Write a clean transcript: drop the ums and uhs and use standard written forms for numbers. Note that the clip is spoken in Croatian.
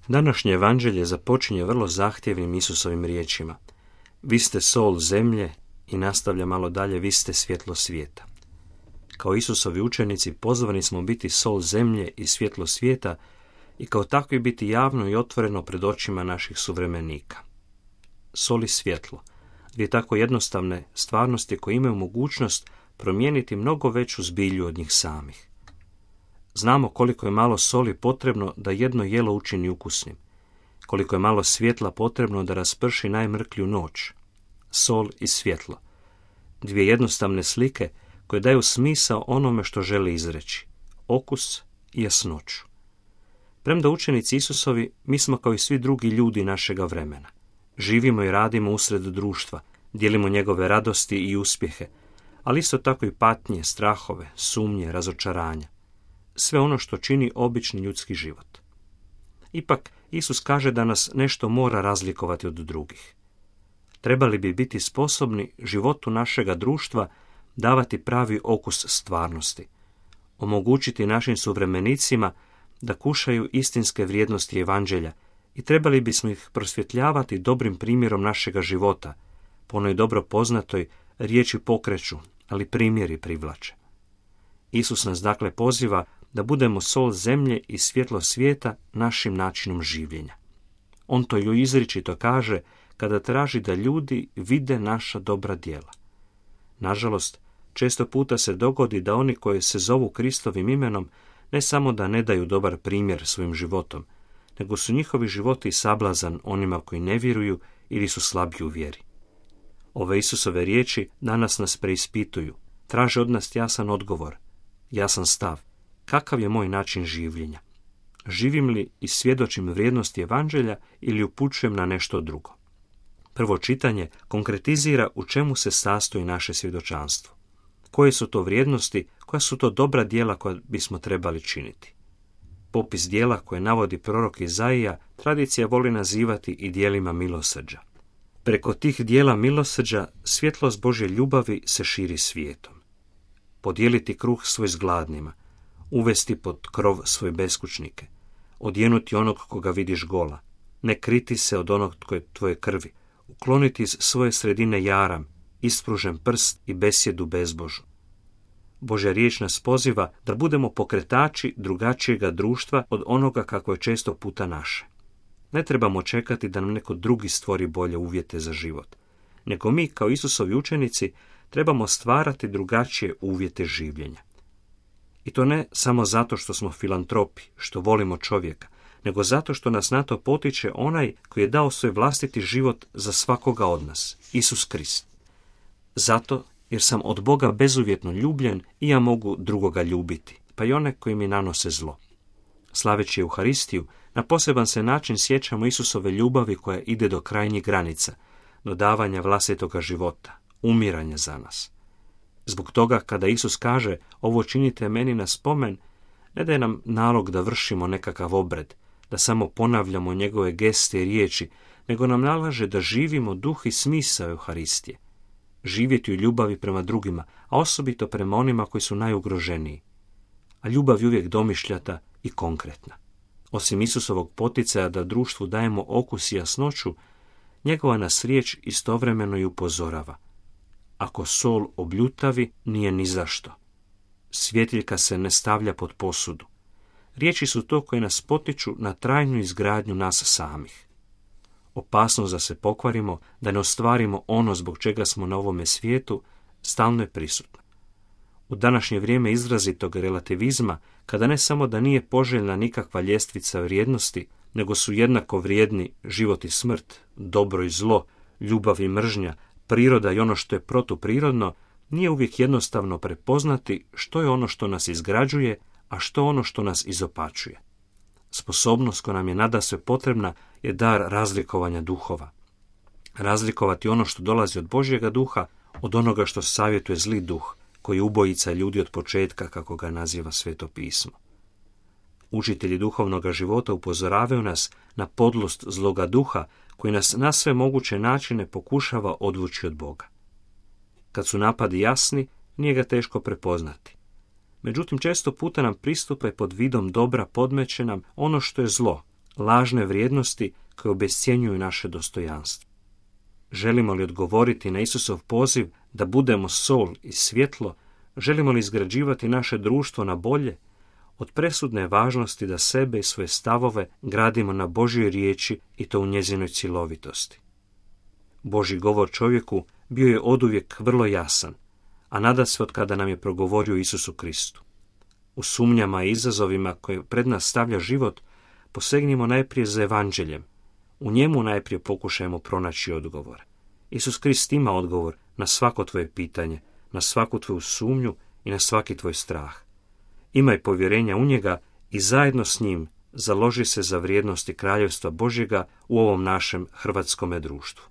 Današnje evanđelje započinje vrlo zahtjevnim Isusovim riječima. Vi ste sol zemlje i nastavlja malo dalje, vi ste svjetlo svijeta. Kao Isusovi učenici pozvani smo biti sol zemlje i svjetlo svijeta i kao takvi biti javno i otvoreno pred očima naših suvremenika. Sol i svjetlo, dvije tako jednostavne stvarnosti koje imaju mogućnost promijeniti mnogo veću zbilju od njih samih. Znamo koliko je malo soli potrebno da jedno jelo učini ukusnim, koliko je malo svjetla potrebno da rasprši najmrklju noć. Sol i svjetlo, dvije jednostavne slike koje daju smisao onome što želi izreći, okus i jasnoću. Premda učenici Isusovi, mi smo kao i svi drugi ljudi našega vremena. Živimo i radimo usred društva, dijelimo njegove radosti i uspjehe, ali isto tako i patnje, strahove, sumnje, razočaranja. Sve ono što čini obični ljudski život. Ipak, Isus kaže da nas nešto mora razlikovati od drugih. Trebali bi biti sposobni životu našega društva davati pravi okus stvarnosti, omogućiti našim suvremenicima da kušaju istinske vrijednosti evanđelja i trebali bismo ih prosvjetljavati dobrim primjerom našega života, po onoj dobro poznatoj riječi pokreću, ali primjeri privlače. Isus nas dakle poziva da budemo sol zemlje i svjetlo svijeta našim načinom življenja. On to ju izričito kaže kada traži da ljudi vide naša dobra djela. Nažalost, često puta se dogodi da oni koji se zovu Kristovim imenom ne samo da ne daju dobar primjer svojim životom, nego su njihovi životi sablazan onima koji ne vjeruju ili su slabiji u vjeri. Ove Isusove riječi danas nas preispituju, traže od nas jasan odgovor, jasan stav. Kakav je moj način življenja? Živim li i svjedočim vrijednosti evanđelja ili upućujem na nešto drugo? Prvo čitanje konkretizira u čemu se sastoji naše svjedočanstvo. Koje su to vrijednosti, koja su to dobra djela koja bismo trebali činiti? Popis djela koje navodi prorok Izaija tradicija voli nazivati i djelima milosrđa. Preko tih djela milosrđa svjetlost Božje ljubavi se širi svijetom. Podijeliti kruh svoj s gladnima, uvesti pod krov svoje beskućnike, odjenuti onog koga vidiš gola, ne kriti se od onog tko je tvoje krvi, ukloniti iz svoje sredine jaram, ispružen prst i besjedu bezbožu. Božja riječ nas poziva da budemo pokretači drugačijega društva od onoga kako je često puta naše. Ne trebamo čekati da nam neko drugi stvori bolje uvjete za život, nego mi kao Isusovi učenici trebamo stvarati drugačije uvjete življenja. I to ne samo zato što smo filantropi, što volimo čovjeka, nego zato što nas na to potiče onaj koji je dao svoj vlastiti život za svakoga od nas, Isus Krist. Zato jer sam od Boga bezuvjetno ljubljen i ja mogu drugoga ljubiti, pa i one koji mi nanose zlo. Slaveći Euharistiju, na poseban se način sjećamo Isusove ljubavi koja ide do krajnjih granica, do davanja vlastitoga života, umiranja za nas. Zbog toga, kada Isus kaže, ovo činite meni na spomen, ne daje nam nalog da vršimo nekakav obred, da samo ponavljamo njegove geste i riječi, nego nam nalaže da živimo duh i smisao Euharistije. Živjeti u ljubavi prema drugima, a osobito prema onima koji su najugroženiji. A ljubav je uvijek domišljata i konkretna. Osim Isusovog poticaja da društvu dajemo okus i jasnoću, njegova nas riječ istovremeno i upozorava. Ako sol obljutavi, nije ni zašto. Svjetiljka se ne stavlja pod posudu. Riječi su to koje nas potiču na trajnu izgradnju nas samih. Opasnost da se pokvarimo, da ne ostvarimo ono zbog čega smo na ovome svijetu, stalno je prisutna. U današnje vrijeme izrazitog relativizma, kada ne samo da nije poželjna nikakva ljestvica vrijednosti, nego su jednako vrijedni život i smrt, dobro i zlo, ljubav i mržnja, priroda i ono što je protuprirodno, nije uvijek jednostavno prepoznati što je ono što nas izgrađuje, a što ono što nas izopačuje. Sposobnost koja nam je nadasve potrebna je dar razlikovanja duhova. Razlikovati ono što dolazi od Božjega duha od onoga što savjetuje zli duh, koji ubojica ljudi od početka, kako ga naziva Sveto pismo. Učitelji duhovnog života upozoravaju nas na podlost zloga duha koji nas na sve moguće načine pokušava odvući od Boga. Kad su napadi jasni, nije ga teško prepoznati. Međutim, često puta nam pristupa i pod vidom dobra podmeće nam ono što je zlo, lažne vrijednosti koje obescjenjuju naše dostojanstvo. Želimo li odgovoriti na Isusov poziv da budemo sol i svjetlo, želimo li izgrađivati naše društvo na bolje, od presudne je važnosti da sebe i svoje stavove gradimo na Božjoj riječi i to u njezinoj cjelovitosti. Božji govor čovjeku bio je oduvijek vrlo jasan, a nadasve od kada nam je progovorio Isusu Kristu. U sumnjama i izazovima koje pred nas stavlja život, posegnimo najprije za evanđeljem. U njemu najprije pokušajmo pronaći odgovor. Isus Krist ima odgovor na svako tvoje pitanje, na svaku tvoju sumnju i na svaki tvoj strah. Imaj povjerenja u njega i zajedno s njim založi se za vrijednosti kraljevstva Božjega u ovom našem hrvatskome društvu.